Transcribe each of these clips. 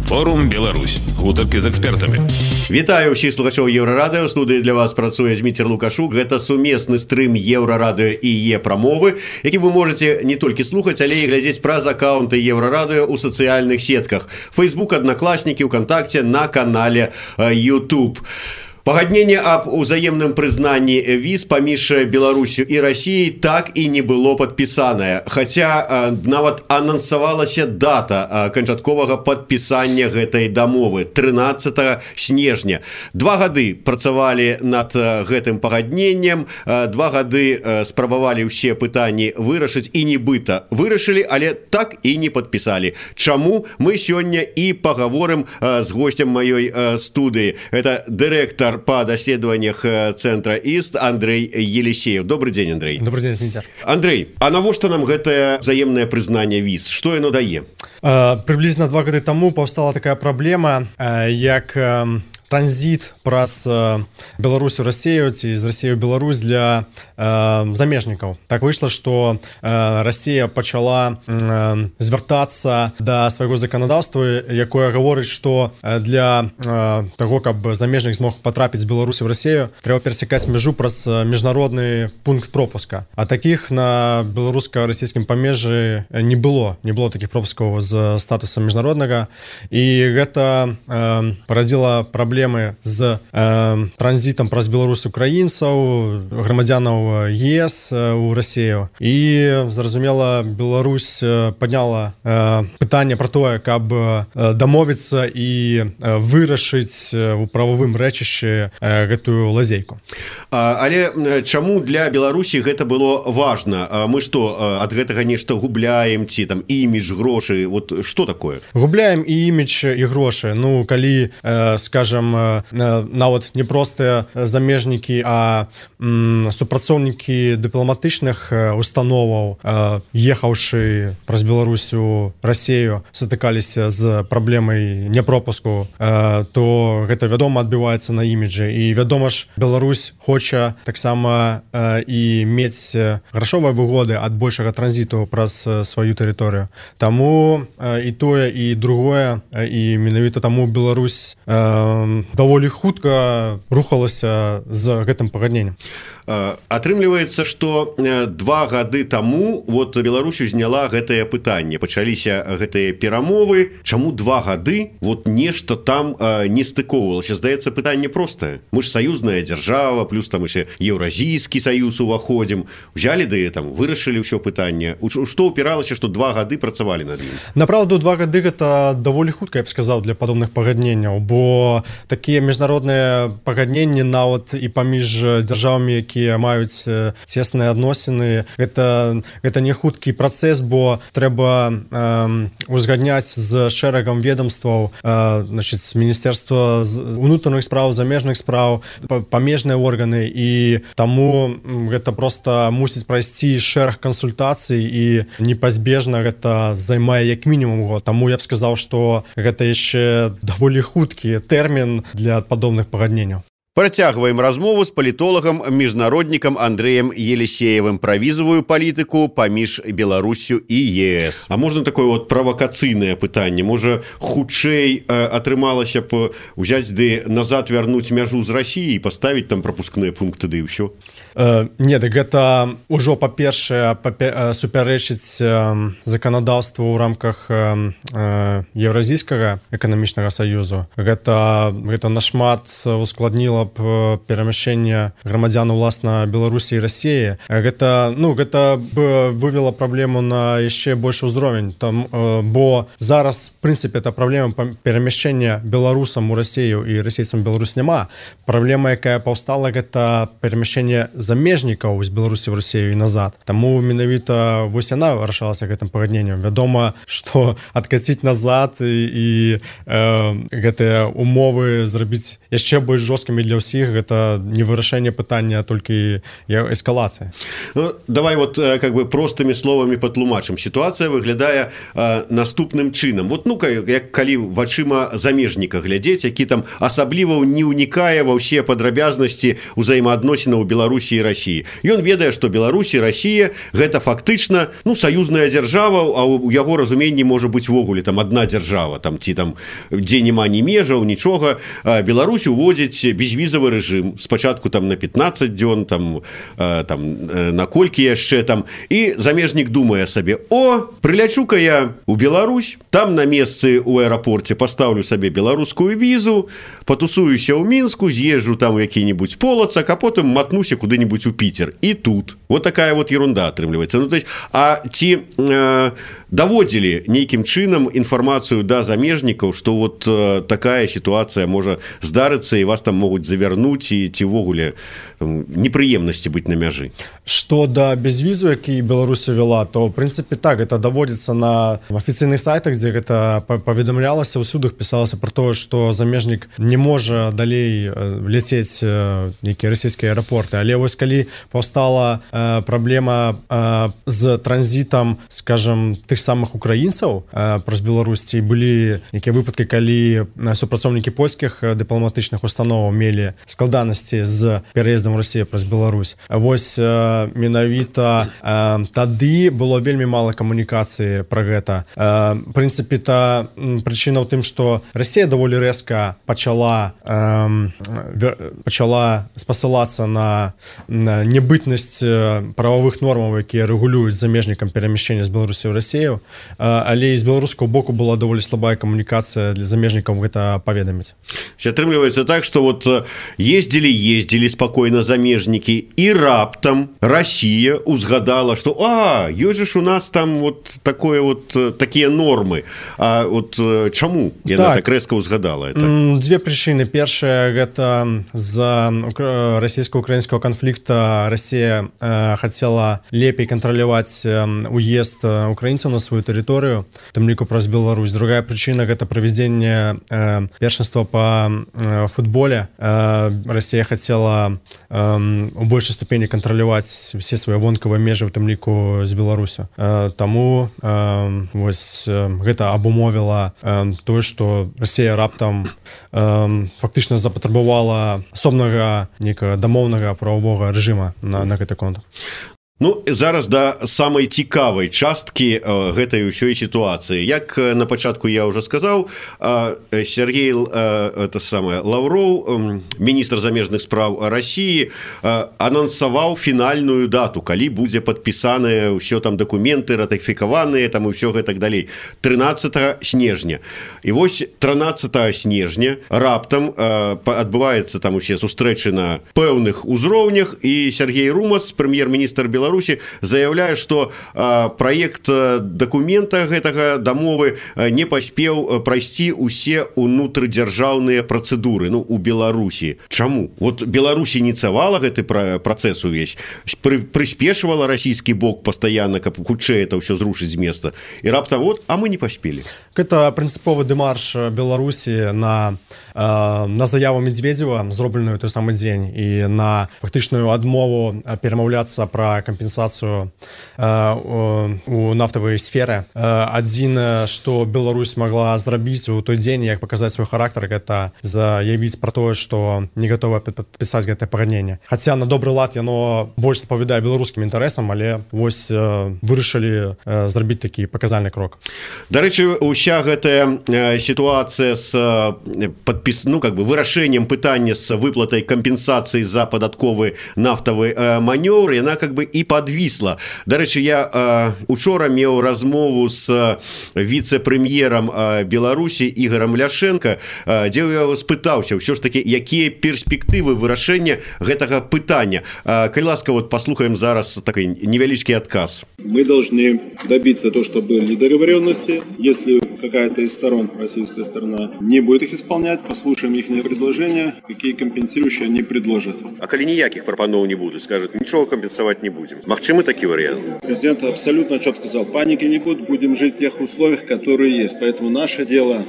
Форум Беларусь. Гутаркі з экспертамі. Вітаю ўсіх слухачоў Еўрарадыё. У студыі для вас працуе Зміцер Лукашук. Гэта сумесны стрым Еўрарадыё і Е-прамовы, які вы можете не толькі слухаць, але і глядзець праз аккаунты Еўрарадыё ў сацыяльных сетках. Facebook, Одноклассники, ВКонтакте, на канале YouTube. Пагадненне аб узаемным прызнанні віз паміж Беларусью і Россией так і не было падпісанае. Хаця нават анансавалася дата канчатковага падпісання гэтай дамовы 13 снежня. 2 гады працавалі над гэтым пагадненнем, 2 гады спрабавалі ўсе пытанні вырашыць і нібыта вырашылі, але так і не падпісалі. Чаму? Мы сёння і пагаворым з гостем маёй студыі. Это дырэктар по даследованиях центра ИСТ Андрей Елисеев. Добрый день, Андрей. Добрый день, Зміцер. Андрей, а навошта нам гэтае взаимное признание виз? Что оно дае? Приблизно 2 гады тому повстала такая проблема, як транзит праз Беларусь у Россию ці з России ў Беларусь для замежнікаў. Так выйшла, што Россия пачала звяртацца да свайго заканадаўства, якое гаворыць, што для таго, каб замежнік змог патрапіць з Беларусі ў Россию, трэба перасякаць мяжу праз міжнародны пункт пропуска. А такіх на беларуска-расійскім памежжы не было такіх пропускаў з статусам міжнароднага, і гэта парадзіла праблемы з транзітам праз Беларусь украінцаў, грамадзянаў ЕС у Россию. І, зразумела, Беларусь падняла пытанне пра тое, каб дамовіцца і вырашыць у прававым рэчышчы гэтую лазейку. Але чаму для Беларусі гэта было важна? Мы што, ад гэтага нешта губляем, ці там імідж, грошы? Вот што такое? Губляем і імідж, і грошы. Ну, калі, скажем, нават не простыя замежнікі, а супрацоўнікі дыпламатычных установаў, ехаўшы праз Беларусь у Россию, сутыкаліся з праблемай непропуску, то гэта, вядома, адбіваецца на іміджы. І, вядома ж, Беларусь хоча таксама і мець грашовыя выгоды ад большага транзіту праз сваю тэрыторыю. Таму і тое, і другое, і менавіта таму Беларусь даволі хутка рухалася з гэтым пагадненнем. Атрымліваецца, што 2 гады таму вот Беларусь узняла гэтае пытанне, пачаліся гэтыя перамовы. Чаму 2 гады вот нешта там не стыковалася? Здаецца, пытанне простае. Мы ж саюзная дзяржава, плюс там яшчэ Еўразійскі саюз уваходзім. Узялі ды там вырашылі ўсё пытанне. Што ўпіралася, што 2 гады працавалі над ім? Направду, 2 гады гэта даволі хутка, я б сказаў, для падобных пагадненняў, бо такія міжнародныя пагадненні нават і паміж дзяржавамі, якія маюць цесныя адносіны, гэта не хуткі працэс, бо трэба узгадняць з шэрагам ведомстваў, значит, з Міністэрства унутраных спраў, замежных спраў, памежныя органы, і таму гэта проста мусіць прайсці шэраг кансультацый, і непазбежна гэта займае як мінімум год. Таму я б сказаў, што гэта яшчэ даволі хуткі тэрмін для падобных пагадненняў. Працягваем размову з палітолагам, міжнароднікам Андреем Елисеевым пра візавую палітыку паміж Беларуссю і ЕС. А можна такое вот правакацыйнае пытанне? Можа, хутчэй атрымалася б узяць ды назад вярнуць мяжу з Россией і паставіць там прапускныя пункты ды і ўсё? Не, так гэта ўжо, па-першае, супярэчыць заканадаўству ў рамках Еўразійскага эканамічнага саюзу. Гэта нашмат ускладніла б перамяшчэнне грамадзян уласна Беларусі і Россиі. Гэта б вывела праблему на яшчэ большы ўзровень, бо зараз, в прынцыпе, это праблема перамяшчэння беларусам у Россию і расейцам Беларусь няма. Праблема, якая паўстала, гэта перамяшчэнне замежнікаў з Беларусі в Россию і назад. Таму менавіта вось яна вырашалася гэтым пагадненнем. Вядома, што адкаціць назад і гэтыя умовы зрабіць яшчэ больш жорсткімі для ўсіх гэта не вырашэнне пытання, а толькі эскалацыя. Ну, давай вот как бы простымі словамі патлумачым. Сітуацыя выглядае наступным чынам. Вот ну як калі вачыма замежніка глядзець, які там асабліва не ўнікае ва ўсе падрабязнасці ўзаемаадносінаў Беларусі і Расіі. Ён ведае, што Беларусь і Расія гэта фактычна ну саюзная дзяржава, а ў яго разуменні можа быць ввогуле там адна дзяржава, там ці там дзе няма ні межаў, нічога. Беларусь уводзіць безвізавы рэжым спачатку там на 15 дзён, там на колькі яшчэ там, і замежнік думае сабе: о, прылячу-ка я у Беларусь, там на месцы ў аэрапорце пастаўлю сабе беларускую візу, патусуюся ў Мінску, з'езджу там у які-нибудь Полацак, а потым матнуся куды-нибудь у Пітер. І тут. Вот такая вот ерунда атрымліваецца. Ну, то есть, а ці даводзілі нейкім чынам інфармацыю да замежнікаў, што вот такая сітуацыя можа здарыцца і вас там могуць завярнуць, і ці ўвогуле непрыемнасці быць на мяжы? Што да безвізу, які Беларусь вела, то в прынцыпе так, это даводзіцца на афіцыйных сайтах, дзе гэта паведамлялася, ўсюды пісалася про тое, што замежнік не можа далей ляцець нейкія расійскія аэрапорты. Але вось калі паўстала праблема з транзітам, скажем, тых самых украінцаў праз Беларусь, ці былі нейкія выпадкі, калі супрацоўнікі польскіх дыпламатычных установаў мелі складанасці з пераездам Расіі праз Беларусь. Вось менавіта тады было вельмі мала камунікацыі пра гэта. В прынцыпе, прычына ў тым, што Расія даволі рэзка пачала спасылацца на небытнасць прававых нормаў, якія рэгулююць замежнікам перамяшчэння з Беларусі ў Расію, але з беларускага боку была даволі слабая камунікацыя для замежнікаў гэта паведаміць. Атрымліваецца так, што вот ездзілі спакойна замежнікі, і раптам Расія узгадала, што ёсць ж у нас там вот такое вот такія нормы. А вот чаму яна так рэзка ўзгадала это? Дзве прычыны. Першая, гэта з расійска-украінскага канфлікта Расія хацела лепей кантраляваць уезд украінцаў на сваю тэрыторыю, у тым ліку праз Беларусь. Другая прычына, гэта правядзенне першынства па футболе. Расія хацела у большай ступені кантраляваць усе свае вонкавыя межы, у тым ліку з Беларусю. Таму вось гэта абумовіла тое, што Расія раптам фактычна запатрабавала асобнага нейкага дамоўнага прававога рэжыма на гэты конт. Ну, зараз да самай цікавай часткі гэтай ўсёй сітуацыі. Як на пачатку я ўжо сказаў, Сергей Лаўроў, міністр замежных спраў Расіі, анансаваў фінальную дату, калі будзе падпісаныя ўсё там дакументы, ратыфікаваныя там і ўсё гэтак далей. 13 снежня. І вось 13 снежня раптам адбываецца там усе сустрэчы на пэўных узроўнях, і Сергей Румас, прэм'ер-міністр Беларусі, заяўляе, што праект дакумента гэтага дамовы не паспеў прайсці ўсе ўнутрыдзяржаўныя працэдуры у Беларусі. Чаму? Вот Беларусь ініцыявала гэты працэс увесь, прыспешвала расійскі бок пастаянна, каб хутчэй это ўсё зрушыць з места. І раптам а мы не паспелі. Гэта прынцыповы дэмарш Беларусі на заяву Медведзева, зробленую той самы дзень, і на фактычную адмову перамаўляцца пра кампенсацыю у нафтавай сферы. Адзін, што Беларусь магла зрабіць у той дзень, як паказаць свой характар, гэта заявіць пра тое, што не гатова падпісаць гэтае пагадненне. Хаця на добры лад яно больш адпавядае беларускім інтарэсам, але вось вырашылі зрабіць такі паказальны крок. Дарэчы, уся гэтая сітуацыя з вырашэннем пытання з выплатай кампенсацыі за падатковы нафтавы манёвр, яна і подвісла. Дарэчы, я учора меў размову з віцэ-прэм'ерам Беларусі Ігорам Ляшенко, дзе я яго спытаўся ўсё ж такі, якія перспектывы вырашэння гэтага пытання. Калі ласка, вот послухаем зараз такой невялічкі адказ. Мы должны добиться того, чтобы были договоренности. Если какая-то из сторон, российская сторона, не будет их исполнять, послушаем их предложения, какие компенсирующие они предложат. А коли никаких пропанов не будут, скажут, ничего компенсовать не будем. Магчимы такие варианты? Президент абсолютно четко сказал, паники не будет, будем жить в тех условиях, которые есть. Поэтому наше дело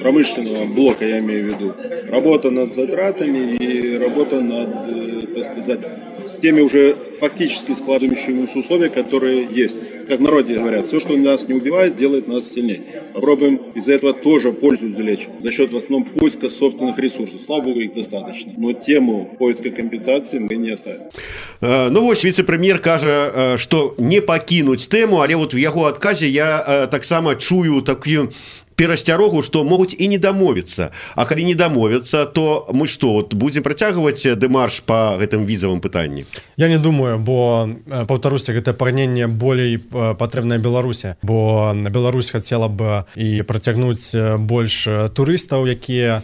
промышленного блока, я имею в виду. Работа над затратами и работа над, так сказать, с теми уже фактически складывающимися условия, которые есть. Как в народе говорят, все, что нас не убивает, делает нас сильнее. Попробуем из-за этого тоже пользу извлечь. За счет в основном поиска собственных ресурсов. Слава богу, их достаточно. Но тему поиска компенсации мы не оставим. Ну вось віцэ-прэм'ер кажа, што не пакінуць тэму, але вот у яго адказе я таксама чую такую перасцярогу, што могуць і не дамовіцца. А калі не дамовіцца, то мы што, вот будзем працягваць дэмарш па гэтым візавым пытанні? Я не думаю, бо, паўтаруся, гэта прагненне болей патрэбнае Беларусі, бо Беларусь хацела б і працягнуць больш турыстаў, якія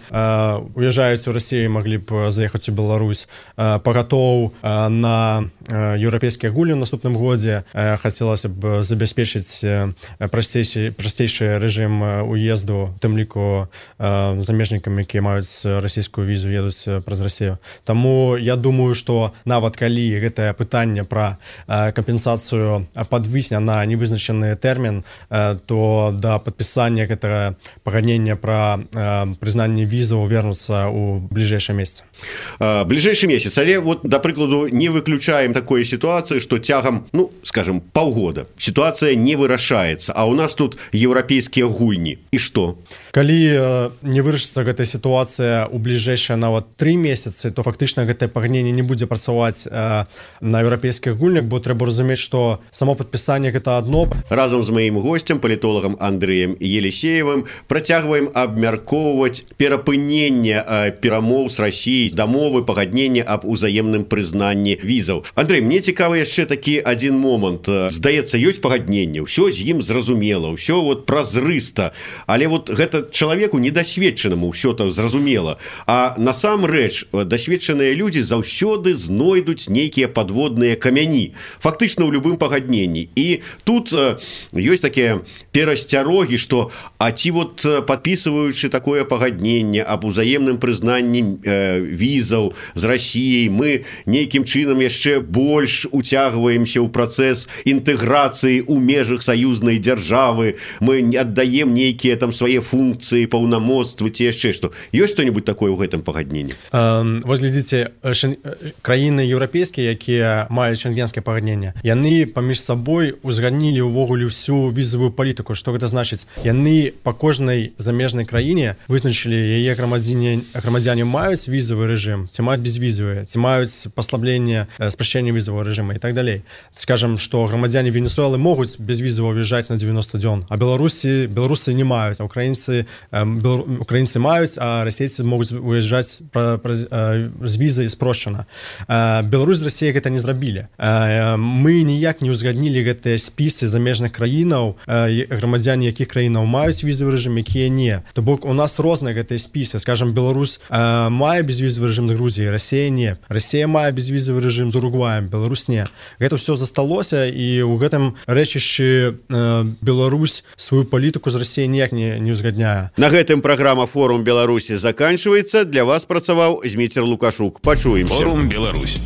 уязджаюць у Расію, маглі б заехаць у Беларусь, пагатоў на еўрапейскія гульні ў наступным годзе, хацелася б забяспечыць прасцейшы рэжым уезду, тым ліку замежнікам, якія маюць расійскую візу, едуць праз Расію. Таму я думаю, што нават калі гэтае пытанне пра кампенсацыю падвісне на невызначаны тэрмін, то да падпісання гэтага пагаднення пра прызнанне візаў вернуцца ў бліжэйшы месяц. Бліжэйшы месяц, але вот, да прыкладу, не выключаем такой сітуацыі, што цягам, ну, скажем, паўгода сітуацыя не вырашаецца, а ў нас тут еўрапейскія гульні. І што? Калі не вырашыцца гэтая сітуацыя ў бліжэйшыя нават 3 месяцы, то фактычна гэтае пагадненне не будзе працаваць на еўрапейскіх гульнях, бо трэба разумець, што само падпісанне гэта адно. Разам з маім госцем, палітолагам Андрэем Елисеевым, працягваем абмяркоўваць перапыненне перамоў з Расіяй, дамовы, пагаднення аб узаемным прызнанні візаў. Андрэй, мне цікавы яшчэ такі адзін момант. Здаецца, ёсць пагадненне, ўсё з ім зразумела, ўсё вот празрыста, але вот гэта чалавеку недасведчанаму ўсё так зразумела. А насамрэч дасведчаныя людзі заўсёды знойдуць нейкія падводныя камяні, фактычна ў любым пагадненні. І тут ёсць такія перасцярогі, што а ці вот падпісваючы такое пагадненне аб узаемным прызнанні візаў з Расіяй, мы нейкім чынам яшчэ больш уцягваемся ў працэс інтэграцыі ў межах саюзнай дзяржавы, мы аддаем нейкія там свае функцыі, паўнамоцтвы ці яшчэ што. Ёсць што-небудзь такое ў гэтым пагадненні? Вось глядзіце, краіны еўрапейскія, якія маюць шенгенскае пагадненне, яны паміж сабой узгаднілі ўвогуле ўсю візавую палітыку. Што гэта значыць? Яны па кожнай замежнай краіне вызначылі, яе грамадзяне маюць візавы рэжым, ці маюць безвізавы, ці маюць паслабленне, спрашчэнне візавага рэжыма і так далей. Скажам, што грамадзяне Венесуэлы могуць безвізава ўязджаць на 90 дзён, а беларусы не маюць, а украінцы маюць, а расейцы могуць уязджаць з візай спрошчана. Беларусь з Расіяй гэта не зрабілі. Мы ніяк не ўзгаднілі гэтыя спісы замежных краінаў, грамадзяне якіх краінаў маюць візавы рэжым, якія не. То бок у нас розныя гэтыя спісы. Скажам, Беларусь мае безвізавы рэжым з Грузіяй, Расія не. Расія мае безвізавы рэжым з Уругваем, Беларусь не. Гэта ўсё засталося, і ў гэтым рэчышчы Беларусь сваю палітыку з Расіяй ніяк не ўзгадняе. На гэтым праграма «Форум Беларусі» заканчваецца. Для вас працаваў Зміцер Лукашук. Пачуемся. Форум Беларусь.